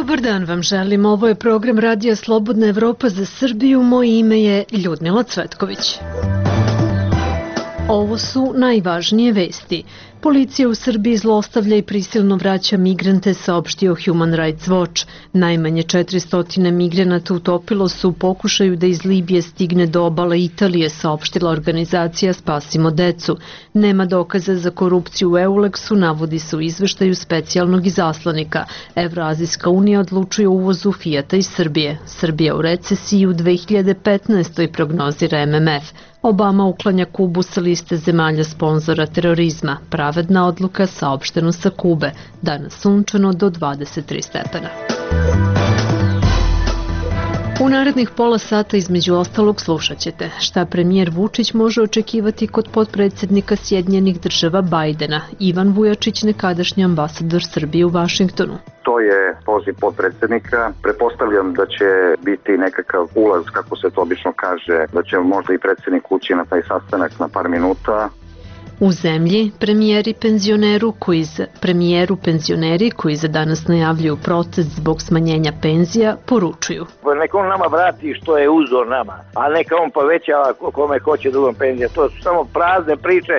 Dobar dan vam želim. Ovo je program Radija Slobodna Evropa za Srbiju. Moje ime je Ljudmila Cvetković. Ovo su najvažnije vesti. Policija u Srbiji zlostavlja i prisilno vraća migrante, saopštio Human Rights Watch. Najmanje 400 migranata utopilo se u pokušaju da iz Libije stigne do obale Italije, saopštila organizacija Spasimo decu. Nema dokaza za korupciju u EULEX-u, navodi se u izveštaju specijalnog izaslanika. Evroazijska unija odlučuje o uvozu Fijata iz Srbije. Srbija u recesiji u 2015. prognozira MMF. Obama uklanja Kubu sa liste zemalja sponzora terorizma. Pravedna odluka, saopšteno sa Kube. Danas sunčano do 23 stepena. U narednih pola sata između ostalog slušat ćete šta premijer Vučić može očekivati kod potpredsednika Sjedinjenih Država Bajdena. Ivan Vujačić, nekadašnji ambasador Srbije u Vašingtonu. To je poziv potpredsednika. Pretpostavljam da će biti nekakav ulaz, kako se to obično kaže, da će možda i predsednik ući na taj sastanak na par minuta. U zemlji premijeru penzioneri koji za danas najavljuju protest zbog smanjenja penzija poručuju. Neka on nama vrati što je uzor nama, a neka on povećava kome hoće drugom penzija. To su samo prazne priče.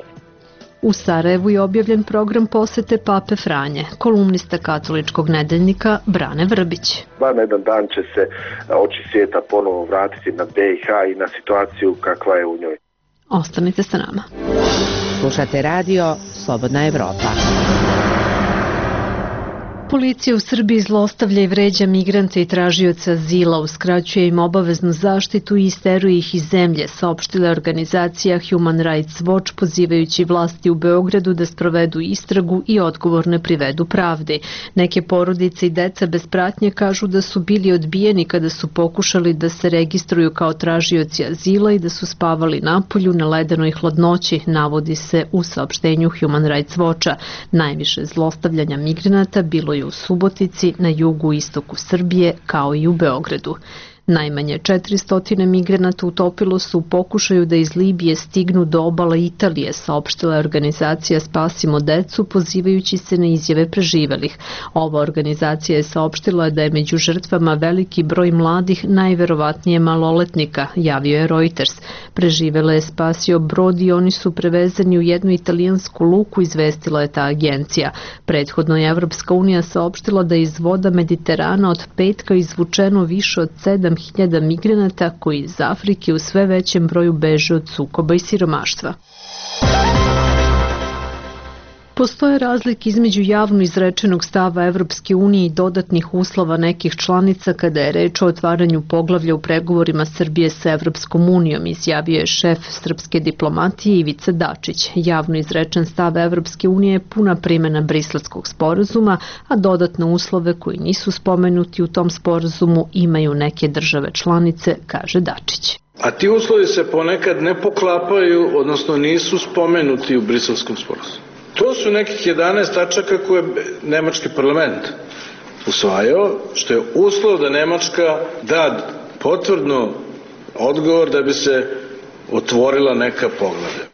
U Sarajevu je objavljen program posete Pape Franje. Kolumnista katoličkog nedeljnika Brane Vrbić. Na jedan dan će se oči svijeta ponovo vratiti na BiH i na situaciju kakva je u njoj. Ostanite sa nama. Slušate radio Slobodna Evropa. Policija u Srbiji zlostavlja i vređa migrante i tražioce azila, uskraćuje im obaveznu zaštitu i isteruje ih iz zemlje, saopštila organizacija Human Rights Watch, pozivajući vlasti u Beogradu da sprovedu istragu i odgovorne privedu pravdi. Neke porodice i deca bez pratnje kažu da su bili odbijeni kada su pokušali da se registruju kao tražioci azila i da su spavali napolju na ledenoj hladnoći, navodi se u saopštenju Human Rights Watcha. Najviše zlostavljanja migranata bilo je u Subotici, na jugu i istoku Srbije, kao i u Beogradu. Najmanje 400 migranata utopilo su u pokušaju da iz Libije stignu do obala Italije, saopštila je organizacija Spasimo decu, pozivajući se na izjave preživelih. Ova organizacija je saopštila da je među žrtvama veliki broj mladih, najverovatnije maloletnika, javio je Reuters. Preživele je spasio brod i oni su prevezani u jednu italijansku luku, izvestila je ta agencija. Prethodno je Evropska unija saopštila da je iz voda Mediterana od petka izvučeno više od 7.000 migranata koji iz Afrike u sve većem broju beže od sukoba i siromaštva. Postoje razlike između javno izrečenog stava Evropske unije i dodatnih uslova nekih članica kada je reč o otvaranju poglavlja u pregovorima Srbije sa Evropskom unijom, izjavio je šef srpske diplomatije Ivica Dačić. Javno izrečen stav Evropske unije je puna primjena Briselskog sporazuma, a dodatne uslove koji nisu spomenuti u tom sporazumu imaju neke države članice, kaže Dačić. A ti uslovi se ponekad ne poklapaju, odnosno nisu spomenuti u Briselskom sporazumu. To su nekih 11 tačaka koje je nemački parlament usvajao, što je uslov da Nemačka da potvrdno odgovor da bi se otvorila neka poglavlja.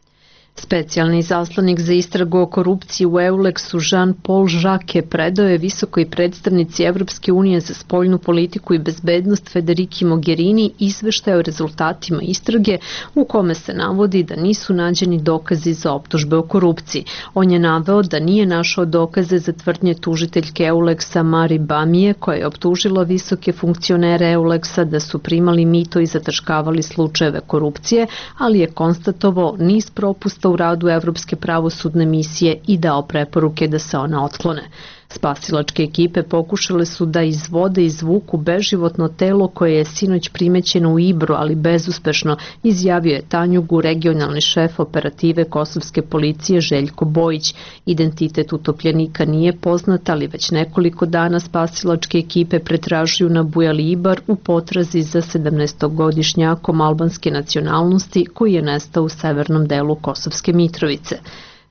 Specijalni izaslanik za istragu o korupciji u EULEX-u Jean-Paul Jacques predao je visokoj predstavnici Evropske unije za spoljnu politiku i bezbednost Federiki Mogherini izveštaj o rezultatima istrage u kome se navodi da nisu nađeni dokazi za optužbe o korupciji. On je naveo da nije našao dokaze za tvrdnje tužiteljke EULEX-a Mari Bamije, koja je optužila visoke funkcionere EULEX-a da su primali mito i zataškavali slučajeve korupcije, ali je konstatovao niz propusta u radu Evropske pravosudne misije i dao preporuke da se one otklone. Spasilačke ekipe pokušale su da iz vode izvuku beživotno telo koje je sinoć primećeno u Ibru, ali bezuspešno, izjavio je Tanjugu regionalni šef operative kosovske policije Željko Bojić. Identitet utopljenika nije poznat, ali već nekoliko dana spasilačke ekipe pretražuju na Bujali Ibar u potrazi za 17-godišnjakom albanske nacionalnosti koji je nestao u severnom delu Kosovske Mitrovice.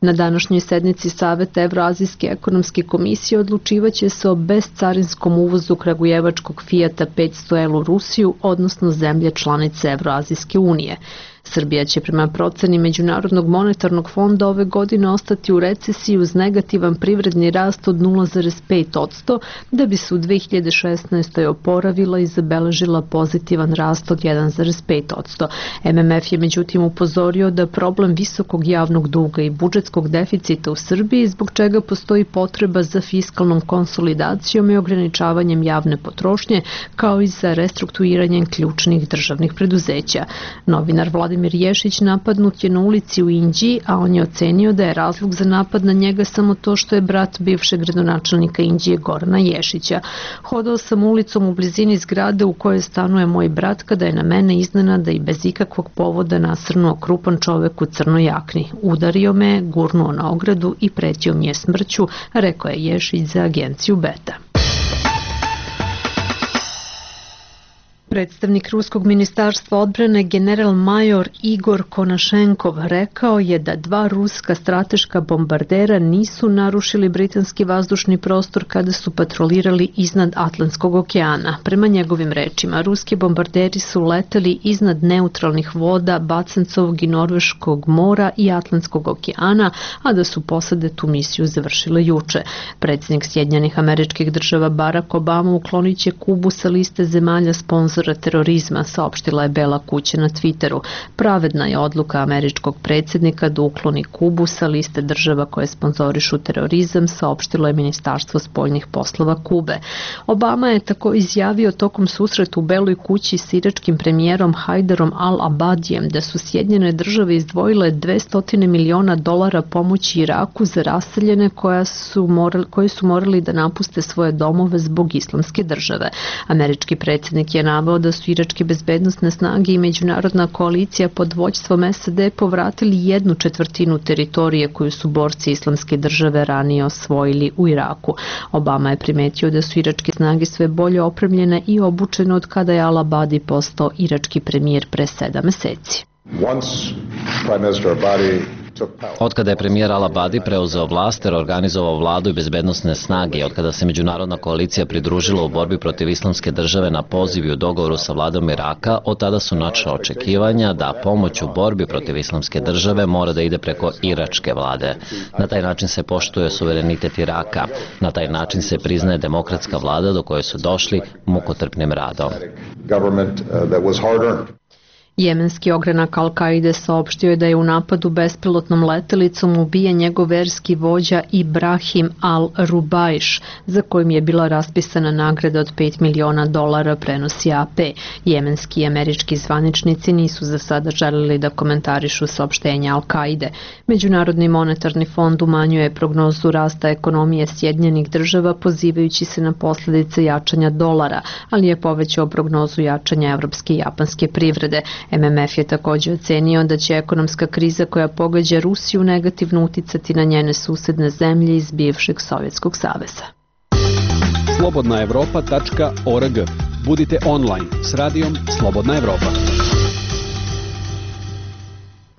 Na današnjoj sednici Saveta Evroazijske ekonomske komisije odlučivaće se o bezcarinskom uvozu kragujevačkog Fijata 500L u Rusiju, odnosno zemlje članice Evroazijske unije. Srbija će prema proceni Međunarodnog monetarnog fonda ove godine ostati u recesiji uz negativan privredni rast od 0,5%, da bi se u 2016. oporavila i zabeležila pozitivan rast od 1,5%. MMF je međutim upozorio da problem visokog javnog duga i budžetskog deficita u Srbiji, zbog čega postoji potreba za fiskalnom konsolidacijom i ograničavanjem javne potrošnje, kao i za restrukturiranjem ključnih državnih preduzeća. Novinar Vladimir Ješić napadnut je na ulici u Inđiji, a on je ocenio da je razlog za napad na njega samo to što je brat bivšeg gradonačelnika Inđije Gorana Ješića. Hodao sam ulicom u blizini zgrade u kojoj stanuje moj brat kada je na mene iznenada i bez ikakvog povoda nasrnuo krupan čovek u crnoj jakni. Udario me, gurnuo na ogradu i pretio mi je smrću, rekao je Ješić za agenciju Beta. Predstavnik Ruskog ministarstva odbrane general-major Igor Konašenkov rekao je da 2 ruska strateška bombardera nisu narušili britanski vazdušni prostor kada su patrolirali iznad Atlantskog okeana. Prema njegovim rečima, ruski bombarderi su leteli iznad neutralnih voda Bacencovog i Norveškog mora i Atlantskog okeana, a da su posade tu misiju završile juče. Predsjednik Sjedinjenih Američkih Država Barack Obama uklonit će Kubu sa liste zemalja sponzora terorizma, saopštila je Bela kuća na Twitteru. Pravedna je odluka američkog predsjednika da ukloni Kubu sa liste država koje sponzorišu terorizam, saopštilo je Ministarstvo spoljnih poslova Kube. Obama je tako izjavio tokom susreta u Beloj kući s iračkim premijerom Hajdarom al-Abadijem da su Sjedinjene države izdvojile $200 miliona pomoći Iraku za raseljene koji su morali da napuste svoje domove zbog islamske države. Američki predsjednik je naveo da su iračke bezbednosne snage i međunarodna koalicija pod vođstvom SAD povratili 1/4 teritorije koju su borci islamske države ranije osvojili u Iraku. Obama je primetio da su iračke snage sve bolje opremljene i obučene od kada je al-Abadi postao irački premijer pre 7 meseci. Otkada je premijer al-Abadi preuzeo vlast ter organizovao vladu i bezbednosne snage, otkada se međunarodna koalicija pridružila u borbi protiv islamske države na poziv i u dogovoru sa vladom Iraka, od tada su načela očekivanja da pomoć u borbi protiv islamske države mora da ide preko iračke vlade. Na taj način se poštuje suverenitet Iraka. Na taj način se priznaje demokratska vlada do koje su došli mukotrpnim radom. Jemenski ogranak Al-Kaide saopštio je da je u napadu bespilotnom letelicom ubijen njegov verski vođa Ibrahim al-Rubaiš, za kojim je bila raspisana nagrada od $5 miliona, prenosi AP. Jemenski i američki zvaničnici nisu za sada želeli da komentarišu saopštenja Al-Kaide. Međunarodni monetarni fond umanjuje prognozu rasta ekonomije Sjedinjenih država pozivajući se na posljedice jačanja dolara, ali je povećao prognozu jačanja evropske i japanske privrede. MMF je također ocenio da će ekonomska kriza koja pogađa Rusiju negativno uticati na njene susedne zemlje iz bivšeg Sovjetskog saveza. slobodnaevropa.org. Budite online s radijom Slobodna Evropa.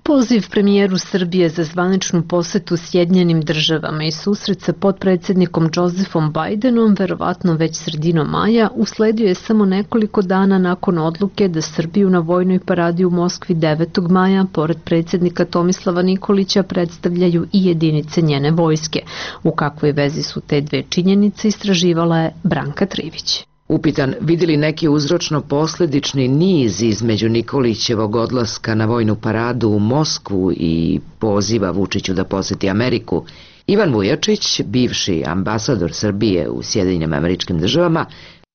Poziv premijeru Srbije za zvaničnu posetu Sjedinjenim državama i susret sa potpredsjednikom Josephom Bidenom, verovatno već sredinom maja, usledio je samo nekoliko dana nakon odluke da Srbiju na vojnoj paradi u Moskvi 9. maja, pored predsjednika Tomislava Nikolića, predstavljaju i jedinice njene vojske. U kakvoj vezi su te dve činjenice, istraživala je Branka Trivić. Upitan vidi li neki uzročno-posledični niz između Nikolićevog odlaska na vojnu paradu u Moskvu i poziva Vučiću da poseti Ameriku, Ivan Vujačić, bivši ambasador Srbije u Sjedinjenim Američkim Državama,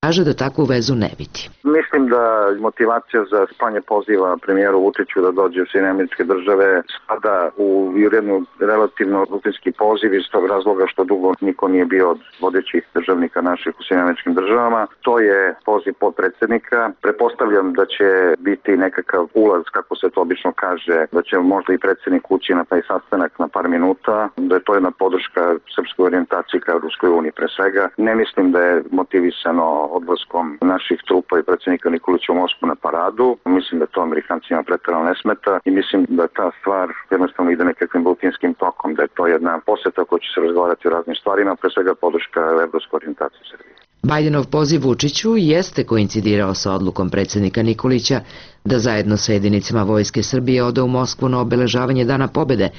kaže da takvu vezu ne vidi. Mislim da motivacija za slanje poziva premijeru Vučiću da dođe u Sjedinjene Američke Države spada u jednu relativno rutinski poziv iz tog razloga što dugo niko nije bio od vodećih državnika naših u Sjedinjenim Američkim Državama. To je poziv potpredsjednika. Pretpostavljam da će biti nekakav ulaz, kako se to obično kaže, da će možda i predsjednik ući na taj sastanak na par minuta, da je to jedna podrška srpskoj orijentaciji ka Ruskoj uniji pre svega. Ne mislim da je motivisano odlaskom naših trupa i predsjednika Nikolića u Moskvu na paradu. Mislim da to Amerikancima preterano ne smeta i mislim da ta stvar jednostavno ide nekakvim rutinskim tokom, da je to jedna poseta koja će se razgovarati o raznim stvarima, pre svega podrška evropskoj orijentaciji Srbije. Bidenov poziv Vučiću jeste koincidirao sa odlukom predsjednika Nikolića da zajedno sa jedinicama Vojske Srbije ode u Moskvu na obeležavanje Dana pobede,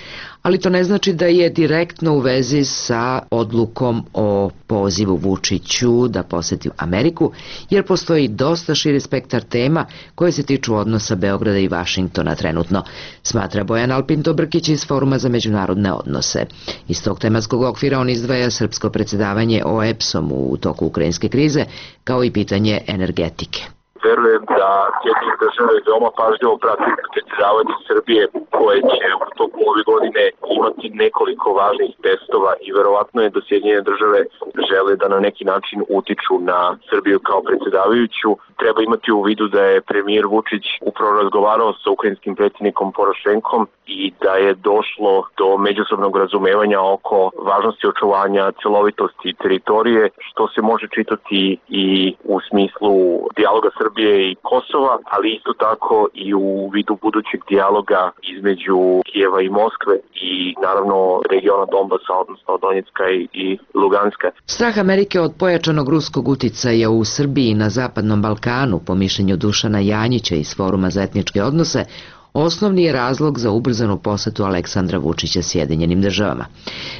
ali to ne znači da je direktno u vezi sa odlukom o pozivu Vučiću da poseti Ameriku, jer postoji dosta širi spektar tema koje se tiču odnosa Beograda i Vašingtona trenutno, smatra Bojan Alpinto-Brkić iz Foruma za međunarodne odnose. Iz tog tematskog okvira on izdvaja srpsko predsjedavanje OEBS-om u toku ukrajinske krize, kao i pitanje energetike. Verujem da Sjedinjene države veoma pažljivo prati predsjedavanje Srbije koje će u toku ove godine imati nekoliko važnih testova i verovatno je da Sjedinjene države žele da na neki način utiču na Srbiju kao predsjedavajuću. Treba imati u vidu da je premijer Vučić upravo razgovarao sa ukrajinskim predsjednikom Porošenkom i da je došlo do međusobnog razumevanja oko važnosti očuvanja celovitosti teritorije, što se može čitati i u smislu dijaloga Srbije i Kosova, ali isto tako i u vidu budućeg dijaloga između Kijeva i Moskve i naravno regiona Donbasa, odnosno Donjecka i Luganska. Strah Amerike od pojačanog ruskog uticaja u Srbiji i na Zapadnom Balkanu, po mišljenju Dušana Janjića iz Foruma za etničke odnose, osnovni je razlog za ubrzanu posetu Aleksandra Vučića Sjedinjenim državama.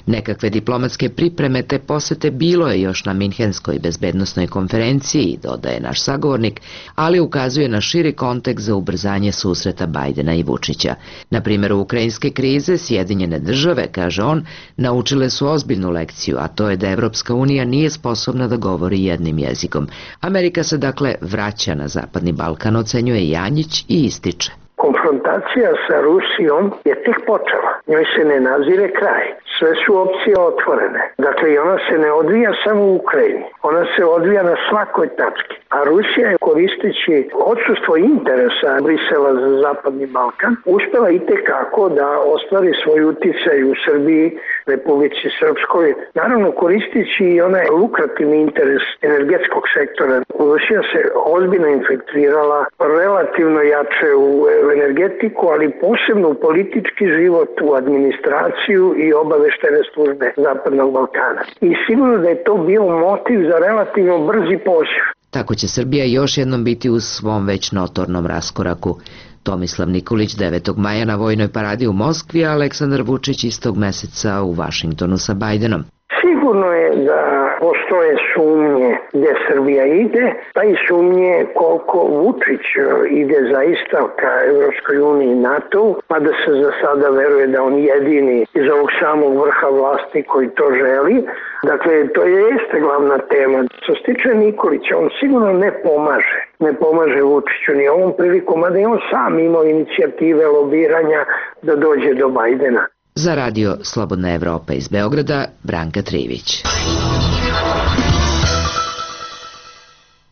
Nekakve diplomatske pripreme te posete bilo je još na Minhenskoj bezbednosnoj konferenciji, dodaje naš sagovornik, ali ukazuje na širi kontekst za ubrzanje susreta Bajdena i Vučića. Na primjeru ukrajinske krize Sjedinjene države, kaže on, naučile su ozbiljnu lekciju, a to je da Evropska unija nije sposobna da govori jednim jezikom. Amerika se dakle vraća na Zapadni Balkan, ocenjuje Janjić i ističe. Konfrontacija sa Rusijom je tek počela. Njoj se ne nazire kraj. Sve su opcije otvorene. Dakle, i ona se ne odvija samo u Ukrajini. Ona se odvija na svakoj tački. A Rusija je, koristeći odsustvo interesa Brisela za Zapadni Balkan, uspela itekako da ostvari svoj uticaj u Srbiji, Republici Srpskoj, naravno koristeći i onaj lukrativni interes energetskog sektora. Rusija se ozbiljno infiltrirala relativno jače u energetiku, ali posebno u politički život, u administraciju i obaveštene službe Zapadnog Balkana. I sigurno da je to bio motiv za relativno brzi poziv. Tako će Srbija još jednom biti u svom već notornom raskoraku. Tomislav Nikolić 9. maja na vojnoj paradi u Moskvi, a Aleksandar Vučić istog meseca u Vašingtonu sa Bajdenom. Sigurno je da postoje sumnje gdje Srbija ide, pa i sumnje koliko Vučić ide zaista ka Evropskoj uniji i NATO, pa da se za sada veruje da on jedini iz ovog samog vrha vlasti koji to želi. Dakle, to jeste glavna tema. Što se tiče Nikolića, on sigurno ne pomaže Vučiću ni ovom prilikom, a da je on sam imao inicijative lobiranja da dođe do Bajdena. Za radio Slobodna Evropa iz Beograda, Branka Trivić.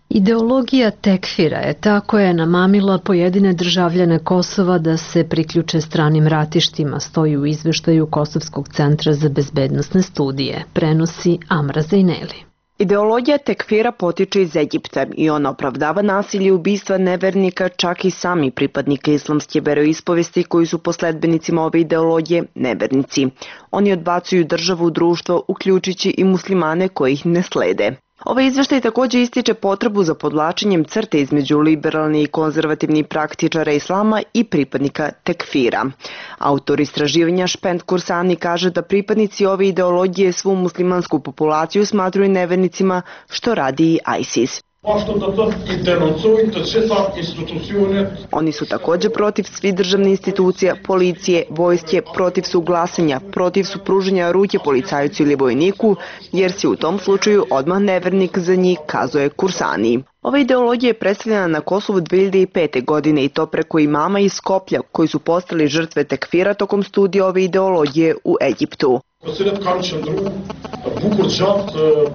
Ideologija tekfira je ta koja je namamila pojedine državljane Kosova da se priključe stranim ratištima, stoji u izveštaju Kosovskog centra za bezbednosne studije, prenosi Amra Zejneli. Ideologija tekfira potiče iz Egipta i ona opravdava nasilje i ubistva nevernika, čak i sami pripadnika islamske veroispovesti koji su po sledbenicima ove ideologije nevernici. Oni odbacuju državu u društvo, uključujući i muslimane koji ih ne slede. Ovaj izveštaj također ističe potrebu za podvlačenjem crte između liberalni i konzervativni praktičara islama i pripadnika tekfira. Autor istraživanja Špend Kursani kaže da pripadnici ove ideologije svu muslimansku populaciju smatruju nevernicima, što radi i ISIS. Oni su također protiv svih državnih institucija, policije, vojske, protiv su glasanja, protiv su pruženja ruke policajcu ili vojniku, jer si u tom slučaju odmah nevernik za njih, kazuje Kursani. Ova ideologija je predstavljena na Kosovu 2005. godine i to preko imama iz Skoplja koji su postali žrtve tekfira tokom studija ove ideologije u Egiptu.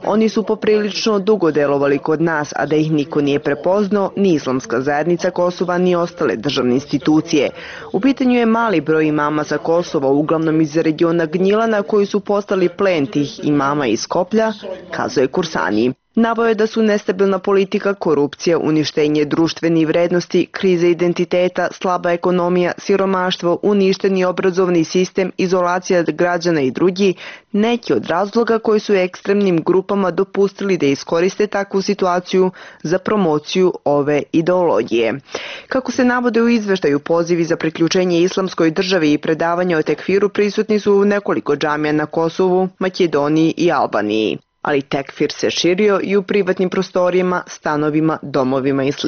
Oni su poprilično dugo delovali kod nas, a da ih niko nije prepoznao, ni islamska zajednica Kosova, ni ostale državne institucije. U pitanju je mali broj imama sa Kosova, uglavnom iz regiona Gnjilana, koji su postali plen tih imama iz Skoplja, kazuje Kursani. Naveo je da su nestabilna politika, korupcija, uništenje društvenih vrednosti, kriza identiteta, slaba ekonomija, siromaštvo, uništeni obrazovni sistem, izolacija građana i drugi neki od razloga koji su ekstremnim grupama dopustili da iskoriste takvu situaciju za promociju ove ideologije. Kako se navode u izveštaju, pozivi za priključenje islamskoj državi i predavanja o tekfiru prisutni su u nekoliko džamija na Kosovu, Makedoniji i Albaniji. Ali tekfir se širio i u privatnim prostorijama, stanovima, domovima i sl.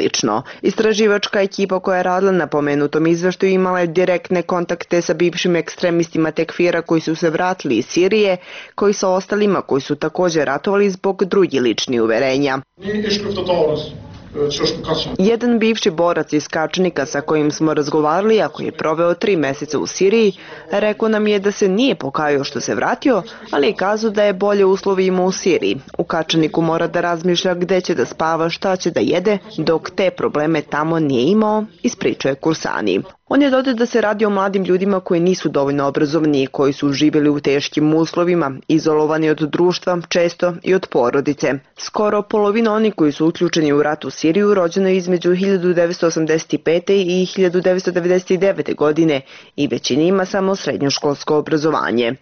Istraživačka ekipa koja je radila na pomenutom izveštaju imala je direktne kontakte sa bivšim ekstremistima tekfira koji su se vratili iz Sirije, koji sa ostalima koji su također ratovali zbog drugih ličnih uverenja. Jedan bivši borac iz Kačnika sa kojim smo razgovarali, a koji je proveo 3 meseca u Siriji, rekao nam je da se nije pokajao što se vratio, ali je kazao da je bolje uslovi imao u Siriji. U Kačaniku mora da razmišlja gde će da spava, šta će da jede, dok te probleme tamo nije imao, ispričao je Kursani. On je dodao da se radi o mladim ljudima koji nisu dovoljno obrazovani i koji su živjeli u teškim uslovima, izolovani od društva, često i od porodice. Skoro polovina onih koji su uključeni u rat u Siriju rođeno je između 1985. i 1999. godine i većina ima samo srednjoškolsko obrazovanje.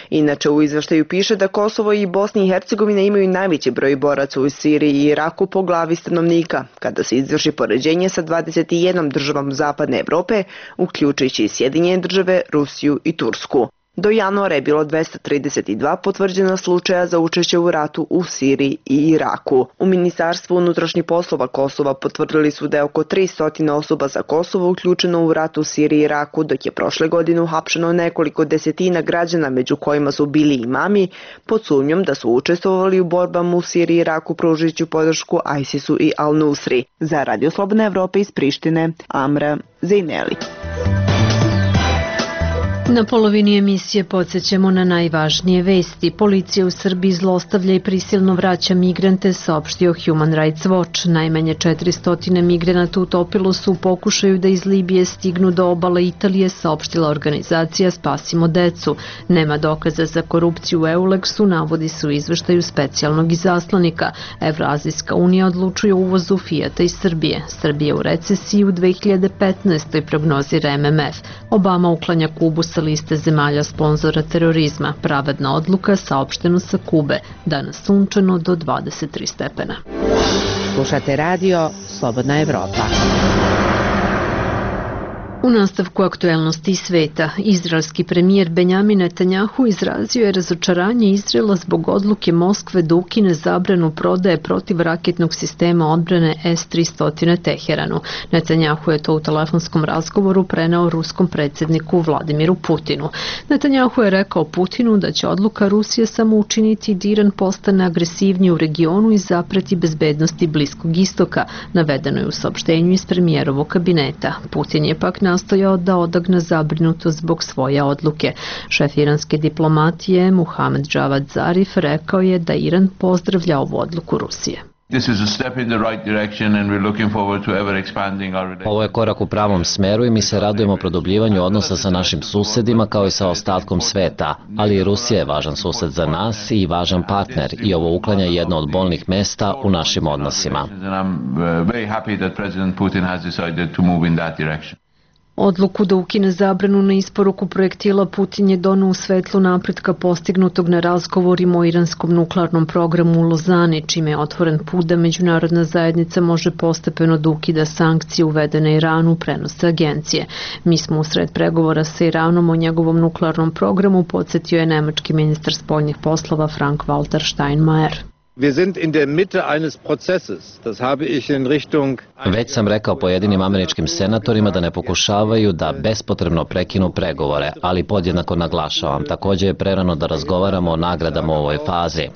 Inače, u izveštaju piše da Kosovo i Bosna i Hercegovina imaju najveći broj boraca u Siriji i Iraku po glavi stanovnika, kada se izvrši poređenje sa 21 državom Zapadne Evrope, uključujući i Sjedinjene Države, Rusiju i Tursku. Do januara je bilo 232 potvrđena slučaja za učešće u ratu u Siriji i Iraku. U Ministarstvu unutrašnjih poslova Kosova potvrdili su da je oko 300 osoba za Kosovo uključeno u rat u Siriji i Iraku, dok je prošle godine uhapšeno nekoliko desetina građana, među kojima su bili imami, pod sumnjom da su učestvovali u borbama u Siriji i Iraku pružajući podršku ISIS-u i Al-Nusri. Za Radio Slobodna Evropa iz Prištine, Amra Zejneli. Na polovini emisije podsjećamo na najvažnije vesti. Policija u Srbiji zlostavlja i prisilno vraća migrante, saopštio Human Rights Watch. Najmanje 400 migranata utopilo su u pokušaju da iz Libije stignu do obale Italije, saopštila organizacija Spasimo decu. Nema dokaza za korupciju u Euleksu, navodi se u izveštaju specijalnog izaslanika. Evroazijska unija odlučuje o uvozu Fijata iz Srbije. Srbija u recesiji u 2015. prognozira MMF. Obama uklanja Kubu sa liste zemalja sponzora terorizma. Pravedna odluka, saopšteno sa Kube. Danas sunčano do 23 stepena. Slušate radio Slobodna Evropa. U nastavku aktuelnosti sveta, izraelski premijer Benjamin Netanjahu izrazio je razočaranje Izraela zbog odluke Moskve da ukine zabranu prodaje protivraketnog sistema odbrane S-300 Teheranu. Netanjahu je to u telefonskom razgovoru preneo ruskom predsjedniku Vladimiru Putinu. Netanjahu je rekao Putinu da će odluka Rusije samo učiniti da Iran postane agresivniji u regionu i zapreti bezbednosti Bliskog istoka, navedeno je u saopštenju iz premijerovog kabineta. Putin je pak nastojao da odagne zabrinutost zbog svoje odluke. Šef iranske diplomatije Muhammad Javad Zarif rekao je da Iran pozdravlja ovu odluku Rusije. Ovo je korak u pravom smeru i mi se radujemo produbljivanju odnosa sa našim susedima kao i sa ostatkom sveta, ali i Rusija je važan sused za nas i važan partner i ovo uklanja jedno od bolnih mesta u našim odnosima. Odluku da ukine zabranu na isporuku projektila Putin je doneo u svetlu napretka postignutog na razgovorima o iranskom nuklearnom programu u Lozani, čime je otvoren put da međunarodna zajednica može postepeno da ukida sankcije uvedene Iranu, prenose agencije. Mi smo usred pregovora sa Iranom o njegovom nuklearnom programu, podsjetio je nemački ministar spoljnih poslova Frank-Walter Steinmeier. Već sam rekao pojedinim američkim senatorima da ne pokušavaju da bespotrebno prekinu pregovore, ali podjednako naglašavam, također je prerano da razgovaramo o nagradama u ovoj fazi.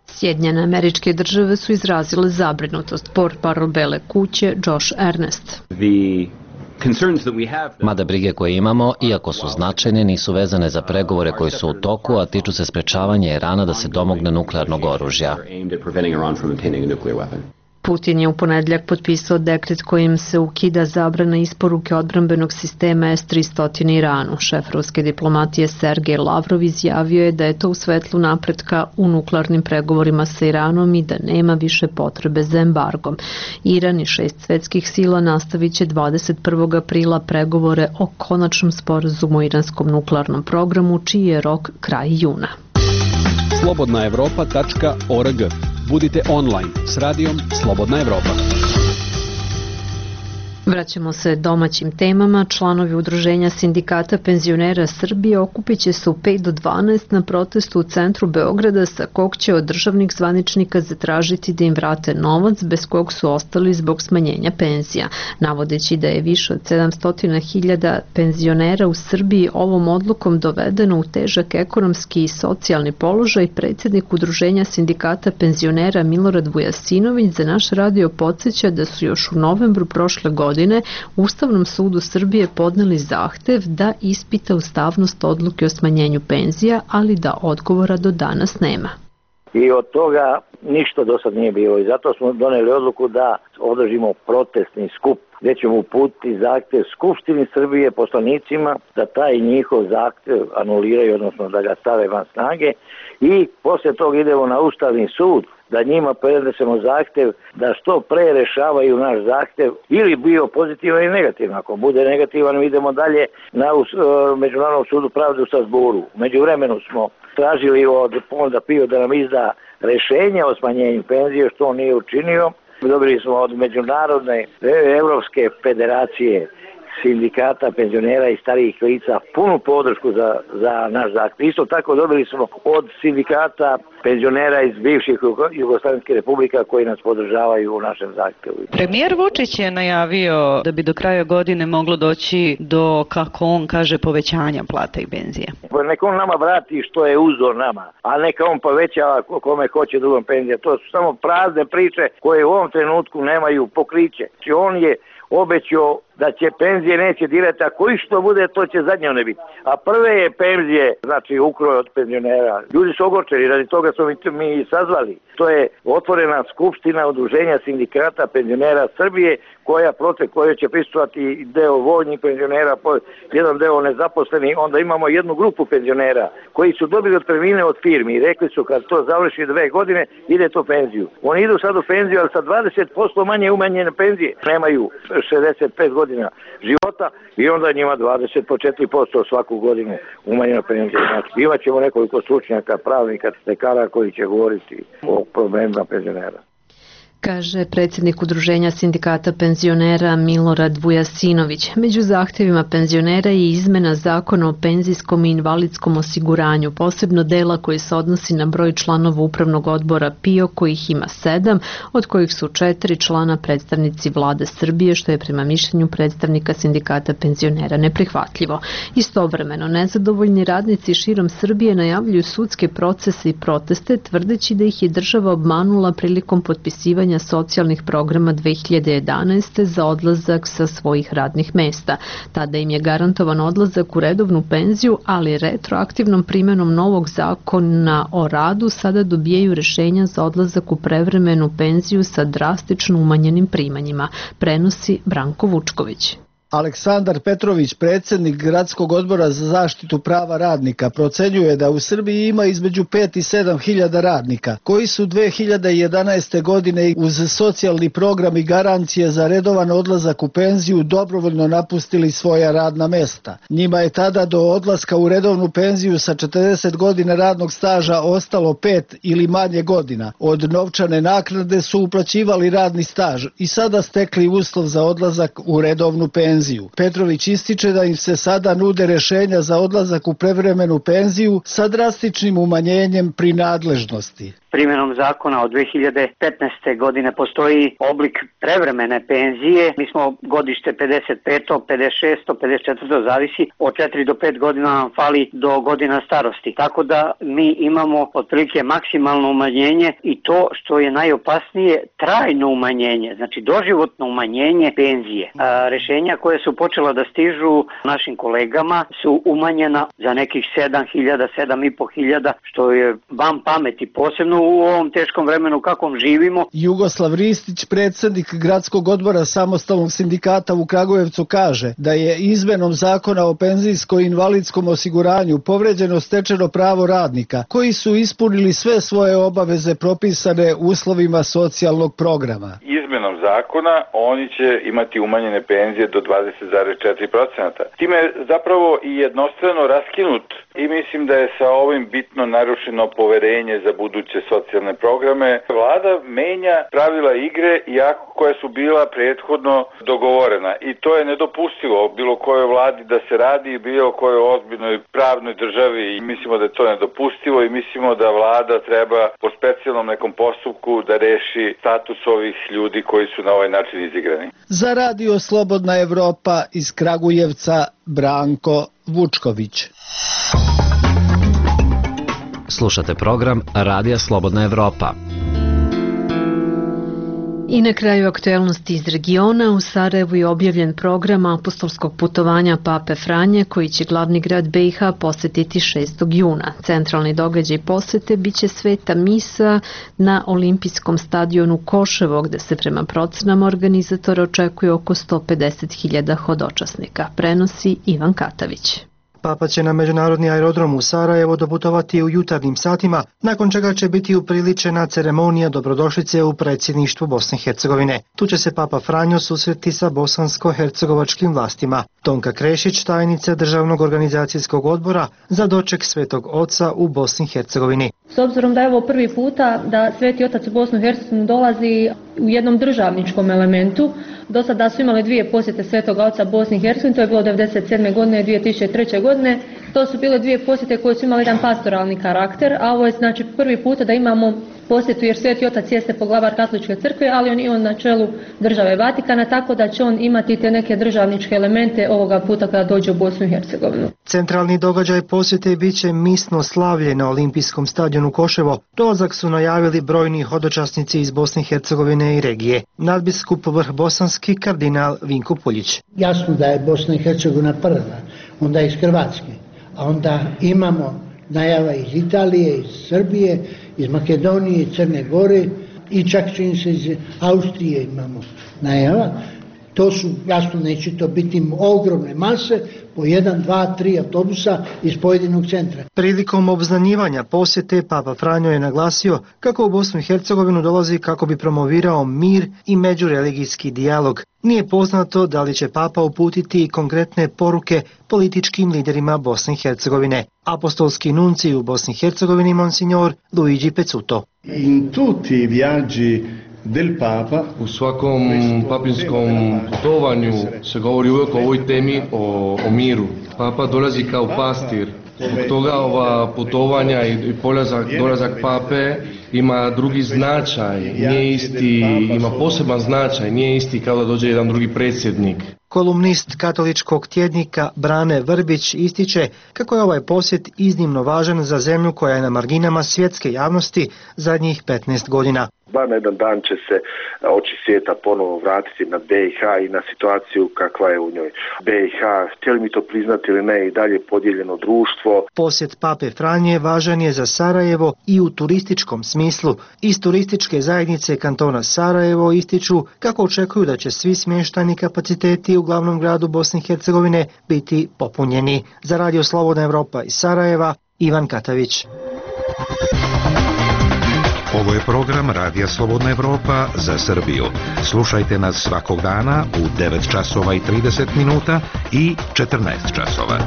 Sjedinjene Američke Države su izrazile zabrinutost, portparol Bele kuće Josh Earnest. Mada brige koje imamo, iako su značajne, nisu vezane za pregovore koji su u toku, a tiču se sprečavanja Irana da se domogne nuklearnog oružja. Putin je u ponedjeljak potpisao dekret kojim se ukida zabrana isporuke odbrambenog sistema S-300 Iranu. Šef ruske diplomatije Sergej Lavrov izjavio je da je to u svetlu napretka u nuklearnim pregovorima sa Iranom i da nema više potrebe za embargom. Iran i 6 svetskih sila nastavit će 21. aprila pregovore o konačnom sporazumu o iranskom nuklearnom programu, čiji je rok kraj juna. Slobodnaevropa.org. Budite online s radijom Slobodna Evropa. Vraćamo se domaćim temama. Članovi Udruženja sindikata penzionera Srbije okupit će se u 5 do 12 na protestu u centru Beograda, sa kog će od državnih zvaničnika zatražiti da im vrate novac bez kog su ostali zbog smanjenja penzija. Navodeći da je više od 700.000 penzionera u Srbiji ovom odlukom dovedeno u težak ekonomski i socijalni položaj, predsjednik Udruženja sindikata penzionera Milorad Vujasinović za naš radio podsjeća da su još u novembru prošle godine Ustavnom sudu Srbije podneli zahtev da ispita ustavnost odluke o smanjenju penzija, ali da odgovora do danas nema. I od toga ništa do sad nije bilo i zato smo doneli odluku da održimo protestni skup gdje ćemo uputiti zahtev Skupštini Srbije, poslanicima, da taj njihov zahtev anuliraju, odnosno da ga stave van snage, i poslije toga idemo na Ustavni sud da njima prenesemo zahtev da što pre rešavaju naš zahtev, ili bio pozitivan ili negativan. Ako bude negativan, idemo dalje na Međunarodnom sudu pravde u Strasburu. Među vremenu smo tražili od Fonda PIO da nam izda rešenje o smanjenju penzije, što on nije učinio. Dobili smo od Međunarodne Evropske federacije sindikata penzionera i starijih lica punu podršku za naš zahtev. Isto tako dobili smo od sindikata penzionera iz bivših Jugoslavijskih republika koji nas podržavaju u našem zahtevu. Premijer Vučić je najavio da bi do kraja godine moglo doći do, kako on kaže, povećanja plata i penzije. Neka on nama vrati što je uzor nama, a neka on povećava kome hoće drugom penzija. To su samo prazne priče koje u ovom trenutku nemaju pokriće. On je obećao da će penzije neće dirati, a koji što bude, to će zadnje one biti. A prve je penzije, znači ukroj od penzionera. Ljudi su ogorčeni, radi toga smo mi sazvali. To je otvorena skupština Udruženja sindikata penzionera Srbije, koja će prisustvovati deo vojnih penzionera, jedan deo nezaposleni, onda imamo jednu grupu penzionera koji su dobili otpremnine od firmi i rekli su kad to završi 2 godine, ide to penziju. Oni idu sad u penziju, ali sa 20% manje umanjene penzije. Nemaju 65 godina života i onda njima 20 po 4% svaku godinu umanjena penzija. Znači, imat ćemo nekoliko stručnjaka, pravnika, lekara koji će govoriti o problemima penzionera. Kaže predsjednik Udruženja sindikata penzionera Milorad Vujasinović. Među zahtjevima penzionera je izmena zakona o penzijskom i invalidskom osiguranju, posebno dela koji se odnosi na broj članova upravnog odbora PIO, kojih ima 7, od kojih su 4 člana predstavnici vlade Srbije, što je prema mišljenju predstavnika sindikata penzionera neprihvatljivo. Istovremeno, nezadovoljni radnici širom Srbije najavljuju sudske procese i proteste, tvrdeći da ih je država obmanula prilikom potpisivanja socijalnih programa 2011. za odlazak sa svojih radnih mesta. Tada im je garantovan odlazak u redovnu penziju, ali retroaktivnom primjenom novog zakona o radu sada dobijaju rešenja za odlazak u prevremenu penziju sa drastično umanjenim primanjima, prenosi Branko Vučković. Aleksandar Petrović, predsjednik Gradskog odbora za zaštitu prava radnika, procenjuje da u Srbiji ima između 5 i 7 hiljada radnika, koji su 2011. godine uz socijalni program i garancije za redovan odlazak u penziju dobrovoljno napustili svoja radna mesta. Njima je tada do odlaska u redovnu penziju sa 40 godina radnog staža ostalo 5 ili manje godina. Od novčane naknade su uplaćivali radni staž i sada stekli uslov za odlazak u redovnu penziju. Petrović ističe da im se sada nude rešenja za odlazak u prevremenu penziju sa drastičnim umanjenjem prinadležnosti. Primjenom zakona od 2015. godine postoji oblik prevremene penzije. Mi smo godište 55., 56., 54. zavisi od 4 do 5 godina nam fali do godina starosti. Tako da mi imamo otprilike maksimalno umanjenje i to što je najopasnije trajno umanjenje, znači doživotno umanjenje penzije. Rešenja koje koje su počela da stižu našim kolegama su umanjena za nekih 7.000, 7.500, što je van pameti, posebno u ovom teškom vremenu kakvom živimo. Jugoslav Ristić, predsjednik Gradskog odbora Samostalnog sindikata u Kragujevcu, kaže da je izmenom zakona o penzijsko-invalidskom osiguranju povređeno stečeno pravo radnika koji su ispunili sve svoje obaveze propisane uslovima socijalnog programa. Izmenom zakona oni će imati umanjene penzije do 20,4%. Time je zapravo i jednostrano raskinut i mislim da je sa ovim bitno narušeno poverenje za buduće socijalne programe. Vlada menja pravila igre iako koja su bila prethodno dogovorena i to je nedopustivo bilo kojoj vladi da se radi i bilo kojoj ozbiljnoj pravnoj državi i mislimo da je to nedopustivo i mislimo da vlada treba po specijalnom nekom postupku da reši status ovih ljudi koji su na ovaj način izigrani. Za Radio Slobodna Evropa iz Kragujevca, Branko Vučković. Slušate program Radija Slobodna Evropa. I na kraju aktuelnosti iz regiona, u Sarajevu je objavljen program apostolskog putovanja Pape Franje koji će glavni grad BiH posetiti 6. juna. Centralni događaj posete biće sveta misa na olimpijskom stadionu Koševo, gde se prema procenama organizatora očekuje oko 150.000 hodočasnika. Prenosi Ivan Katavić. Papa će na međunarodni aerodrom u Sarajevo doputovati u jutarnjim satima, nakon čega će biti upriličena ceremonija dobrodošlice u predsjedništvu Bosne i Hercegovine. Tu će se Papa Franjo susreti sa bosansko-hercegovačkim vlastima. Tonka Krešić, tajnica Državnog organizacijskog odbora za doček Svetog Oca u Bosni i Hercegovini. S obzirom da je ovo prvi puta da Sveti Otac u Bosnu i Hercegovinu dolazi u jednom državničkom elementu, do sada su imali 2 posjete Svetog Oca Bosni i Hercegovini, to je bilo 1997. godine i 2003. godine. To su bile 2 posjete koje su imali jedan pastoralni karakter, a ovo je znači prvi puta da imamo posjetu jer Sveti Otac jeste poglavar Katoličke crkve, ali on je na čelu države Vatikana, tako da će on imati te neke državničke elemente ovoga puta kada dođe u Bosnu i Hercegovinu. Centralni događaj posjete biće misno slavlje na olimpijskom stadionu Koševo. Dolazak su najavili brojni hodočasnici iz Bosne i Hercegovine i regije. Nadbiskup Vrhbosanski kardinal Vinko Puljić. Jasno da je Bosna i Hercegovina prva, onda iz Hrvatske, a onda imamo najava iz Italije, iz Srbije, iz Makedonije, iz Crne Gore i čak čini se iz Austrije imamo najava. To su, jasno neće to biti ogromne mase, po 1, 2, 3 autobusa iz pojedinog centra. Prilikom obznanjivanja posjete Papa Franjo je naglasio kako u Bosnu i Hercegovinu dolazi kako bi promovirao mir i međureligijski dijalog. Nije poznato da li će Papa uputiti konkretne poruke političkim liderima Bosne i Hercegovine. Apostolski nunci u Bosni i Hercegovini Monsignor Luigi Pezzuto. In tutti i viaggi del Papa, u svakom papinskom putovanju se govori uvijek o ovoj temi, o miru. Papa dolazi kao pastir. Zbog toga ova putovanja i dolazak Pape ima drugi značaj, nije isti, ima poseban značaj, nije isti kao da dođe jedan drugi predsjednik. Kolumnist katoličkog tjednika Brane Vrbić ističe kako je ovaj posjet iznimno važan za zemlju koja je na marginama svjetske javnosti zadnjih 15 godina. Bar na jedan dan će se oči svijeta ponovo vratiti na BiH i na situaciju kakva je u njoj. BiH, htjeli mi to priznati ili ne, i dalje podijeljeno društvo. Posjet Pape Franje važan je za Sarajevo i u turističkom smislu. Iz turističke zajednice kantona Sarajevo ističu kako očekuju da će svi smještajni kapaciteti u glavnom gradu Bosne i Hercegovine biti popunjeni. Za Radio Slobodna Evropa iz Sarajeva, Ivan Katavić. Ovo je program Radija Slobodna Evropa za Srbiju. Slušajte nas svakog dana u 9 časova i 30 minuta i 14 časova.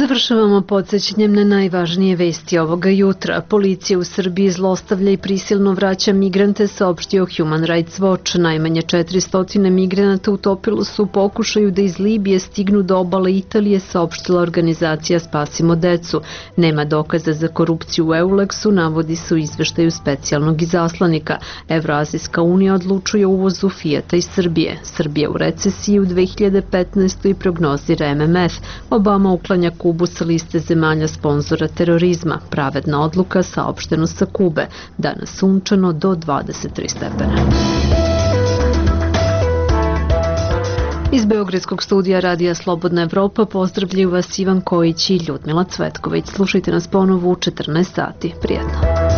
Završavamo podsjećanjem na najvažnije vesti ovoga jutra. Policija u Srbiji zlostavlja i prisilno vraća migrante, saopštio Human Rights Watch. Najmanje 400 migranata utopilo su u pokušaju da iz Libije stignu do obale Italije, saopštila organizacija Spasimo decu. Nema dokaza za korupciju u Euleksu, navodi se u izveštaju specijalnog izaslanika. Evroazijska unija odlučuje o uvozu Fijata iz Srbije. Srbija u recesiji u 2015. prognozira MMF. Obama uklanja Kubu sa liste zemalja sponzora terorizma. Pravedna odluka saopšteno sa Kube. Danas sunčano do 23 stepena. Iz Beogradskog studija Radija Slobodna Evropa pozdravljaju vas Ivan Kojić i Ljudmila Cvetković. Slušajte nas ponovo u 14 sati. Prijetno.